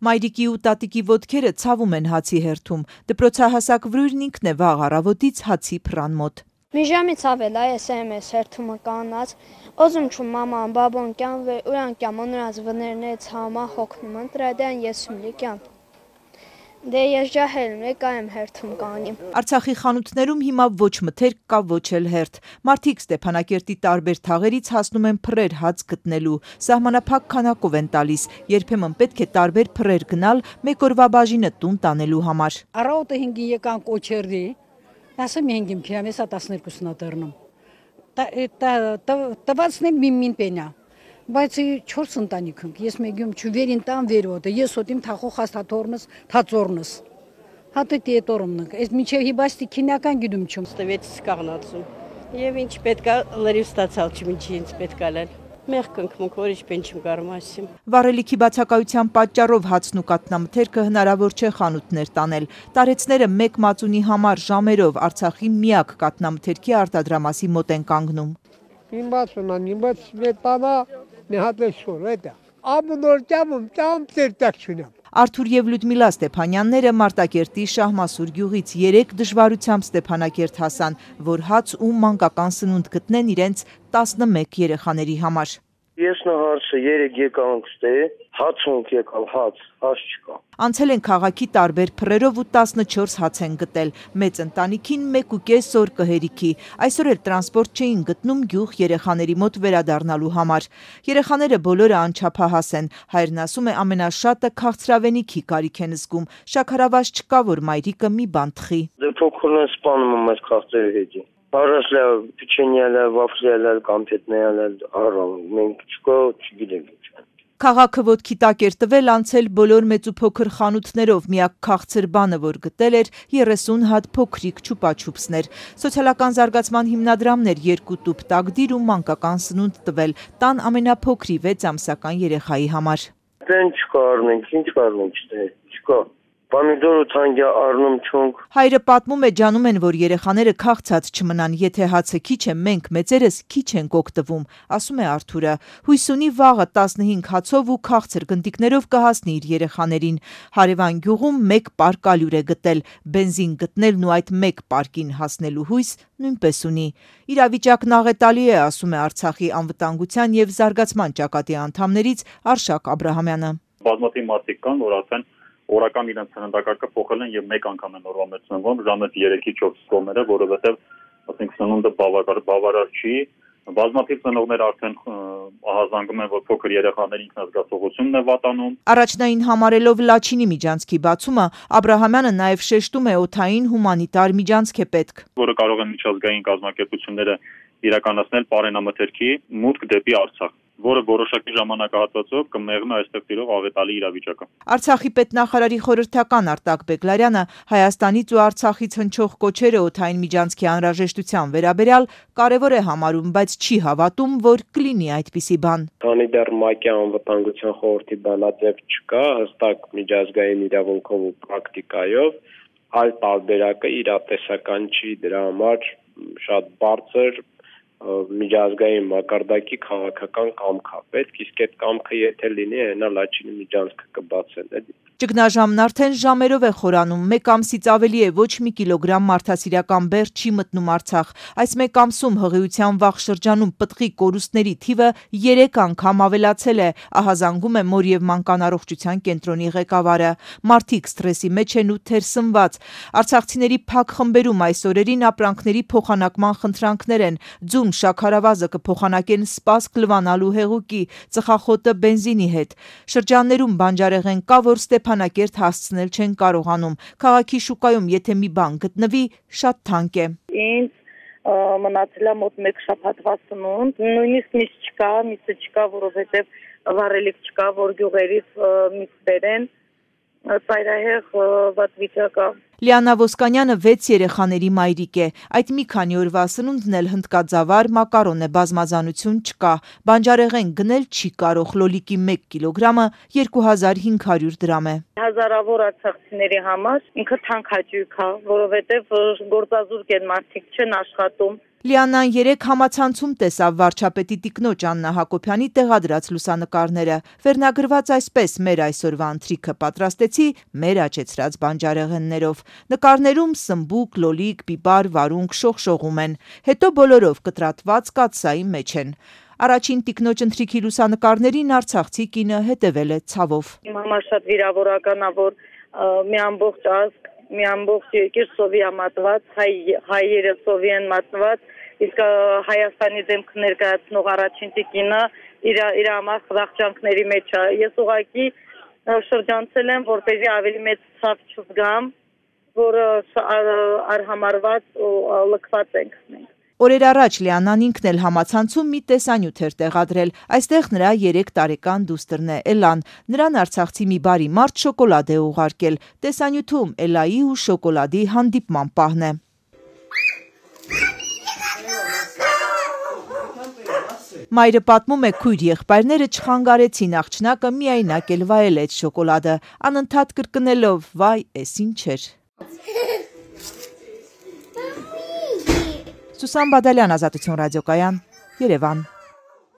Մայրիկի ու տատիկի ոտքերը ցավում են հացի հերթում, դպրոցահասակ Վրույրն ինքն է վաղ առավոտից հացի փռան մոտ։ Մի ժամից ավել է SMS հերթումը կանած, օզում չում մաման, բաբոն կյան ույան կյանոնրած վներնեց համա հոգնում ընտրադյան եսում լիկյան։ Դե ես ջահել եկա եմ հերթում կանիմ։ Արցախի խանութներում հիմա ոչ մթերք կա, ոչ էլ հերթ։ Մարդիկ Ստեփանակերտի տարբեր թաղերից հասնում են փռեր հաց գտնելու, սահմանափակ քանակով են տալիս, երբեմն պետք է տարբեր փռեր գնալ մեկ օրվա բաժինը տուն տանելու համար։ Առավոտը 5-ին եկան կոչերդի, ասեմ 5-ին քիամ էսա 12-ն ատերնում։ Տվածն է մին պենա։ Բայց 4 ընտանիք ենք, ես մեգյում չուվերին տան վերոտը, ես հոտիմ թախող հաստաթորնս, թածորնս, հատը տետորումնք, ես միջև հիբաստի կինական գիդում չում։ Ստվեցից կաղնացում, և ինչ պետքա լրիվ ստացալ չմ ինչի ինձ պետքա լել, մեղք ընկմունք, որ իչպեն չմ կարում ասիմ։ Վառելիքի բացակայության պատճառով հացն ու կաթնամթերքը հնարավոր չէ խանութներ տանել։ Տարեցները մեկ մածունի համար ժամերով Արցախի միակ կաթնամթերքի արտադրամասի մոտ են կանգնում։ Արթուր և Լյուդմիլա Ստեփանյանները Մարտակերտի Շահմասուր գյուղից 3 դժվարությամբ Ստեփանակերտ հասան, որ հաց ու մանկական սնունդ գտնեն իրենց 11 երեխաների համար։ Ես նահարսը 3 եկանք ստե, հաց ունք եկալ, հաց չկա։ Անցել են քաղաքի տարբեր փռերով ու 14 հաց են գտել, մեծ ընտանիքին 1.5 օր կհերիքի, այսօր էլ տրանսպորտ չէին գտնում գյուղ երեխաների մոտ վերադառնալու համար։ Երեխաները բոլորը անչափահաս են, հայրն ասում է ամենաշատը քաղցրավենիքի կարիք են զգում, շաքարավազ չկա, որ մայրիկը մի բան թխի։ Դե փոքրն են սպանում եմ այս քաղցրերի հետի։ Առասլա պիչենյալը, վաֆլյալը, կամպետնեալը, առամ, մենք չկա, չգիտենք ինչ։ Քաղաքը ոտքի տակ էր տվել անցել բոլոր մեծ ու փոքր խանութներով, միակ քաղցր բանը, որ գտել էր 30 հատ փոքրիկ չուպաչուպսներ։ Սոցիալական զարգացման հիմնադրամներ 2 տուփ տակդիր ու մանկական սնունդ տվել տան ամենափոքրի 6 ամսական երեխայի համար։ Դեն չկա առնենք, ինչ առնենք, չկա։ Պամիդոր ու թանկյա առնում չունք։ Հայրը պատմում է, ջանում են, որ երեխաները քաղցած չմնան, եթե հացը քիչ է, մենք մեծերս քիչ ենք օգտվում, ասում է Արթուրը։ Հույս ունի վաղը 15 հացով ու քաղցր գնդիկներով կհասնի իր երեխաներին։ Հարևան գյուղում 1 պարկ ալյուր է գտել, բենզին գտնելն ու այդ 1 պարկին հասնելու հույս նույնպես ունի։ Իրավիճակն աղետալի է, ասում է Արցախի անվտանգության եւ զարգացման ճակատի անդամներից Արշակ Աբրահամյանը։ Բազմաթիվ մարդիկ կան, որ ասեն օրական իրենց սննդակարգը փոխել են եւ մեկ անգամ են օրվա մեջ սնվում, ժամը 3-ից 4 կողմերը, որովհետեւ ասենք սնունդը բավարար չի։ Բազմաթիվ ծնողներ արդեն ահազանգում են, որ փոքր երեխաների ինքնազգացողությունն է վատանում։ Առաջնային համարելով Լաչինի միջանցքի բացումը, Աբրահամյանը նաև շեշտում է օդային հումանիտար միջանցք է պետք, որը կարող են միջազգային կազմակերպությունները իրականացնել պարենամթերքի մուտք դեպի Արցախ, որը որոշակի ժամանակահատվածով կմեղմի այստեղ տիրող աղետալի իրավիճակը։ Արցախի պետնախարարի խորհրդական Արտակ Բեգլարյանը Հայաստանից ու Արցախից հնչող կոչերը օդային միջանցքի անհրաժեշտության վերաբերյալ կարևոր է համարում, բայց չի հավատում, որ կլինի այդպիսի բան։ Քանի դեռ ՄԱԿ-ի անվտանգության խորհրդի բանաձև չկա, հստակ միջազգային իրավունքով ու պրակտիկայով, այլ տարբերակը իրատեսական չի, դրա համար շատ բարձր միջազգային մակարդակի քաղաքական կամք է պետք, իսկ այդ կամքը եթե լինի, այնա Լաչինի միջանցքը կբացեն։ Ճգնաժամն արդեն ժամերով է խորանում, 1 ամսից ավելի է ոչ մի կիլոգրամ մարդասիրական բեռ չի մտնում Արցախ։ Այս 1 ամսում հղիության վաղ շրջանում պտղի կորուստների թիվը 3 անգամ ավելացել է, ահազանգում է մոր և մանկան առողջության կենտրոնի ղեկավարը։ Մարդիկ սթրեսի մեջ են ու թերսնված։ Արցախցիների փակ խմբերում այս օրերին ապրանքների փոխանակման խնդրանքներ են, ձուն շաքարավազը կփոխանակեն սպասք լվանալու հեղուկի, ծխախոտը բենզինի հետ։ Շրջաններում բանջարեղեն կա, որ Ստեփանակերտ հասցնել չեն կարողանում։ Քաղաքի շուկայում եթե մի բան գտնվի, շատ թանկ է։ Ինձ մնացել է մոտ 1 շաբաթվա սնունդ, նույնիսկ միսը չկա, որովհետև վառելիք չկա, որ գյուղերից միս բերեն, ծայրահեղ վատ վիճակ է։ Լիանա Ոսկանյանը 6 երեխաների մայրիկ է։ Այդ մի քանի օրվա սնունդն էլ հնդկածավար մակարոն է, բազմազանություն չկա։ Բանջարեղեն գնել չի կարող, լոլիկի 1 կիլոգրամը 2500 դրամ է։ Հազարավոր արցախցիների համար ինքը թանկ հաճույք է, որովհետև գործազուրկ են մարդիկ չեն աշխատում։ Լիաննան 3 համացանցում տեսավ վարչապետի տիկնոջ Աննա Հակոբյանի տեղադրած լուսանկարները, վերնագրված այսպես մեր այսօրվա ընթրիքը պատրաստեցի մեր աճեցրած բանջարեղեններով, նկարներում սմբուկ, լոլիկ, պիպար, վարունգ շողշողում են, հետո բոլորով կտրատված կաթսայի մեջ են։ Առաջին տիկնոջ ընթրիքի լուսանկարներին արցախցի կինը հետևել է ցավով։ Իմ համար շատ վիրավորական է, որ մի ամբողջ ազգ, մի ամբողջ երկիր սովի է մատված, հայերը սովի են մատնված, իսկ Հայաստանի դեմք ներկայացնող առաջին տիկինը իր համար խղճանքների մեջ է։ Ես ուղղակի շրջանցել եմ, որպեսզի ավելի մեծ ցավ չզգամ, որ արհամարված ու լքված ենք մենք։ Օրեր առաջ Լիաննան ինքն էլ համացանցում մի տեսանյութ էր տեղադրել, այստեղ նրա 3 տարեկան դուստրն է Էլան, նրան արցախցի մի բարի մարդ շոկոլադ է ուղարկել, տեսանյութում Էլայի ու շոկոլադի հանդիպման պահն է։ Մայրը պատմում է, քույր եղբայրները չխանգարեցին աղջնակը միայնակ էլ վայելեց շոկոլադը, անընդհատ կրկնելով վայ, էս ինչ էր։ Սուսան Բադալյան, Ազատություն ռադիոկայան, Երևան։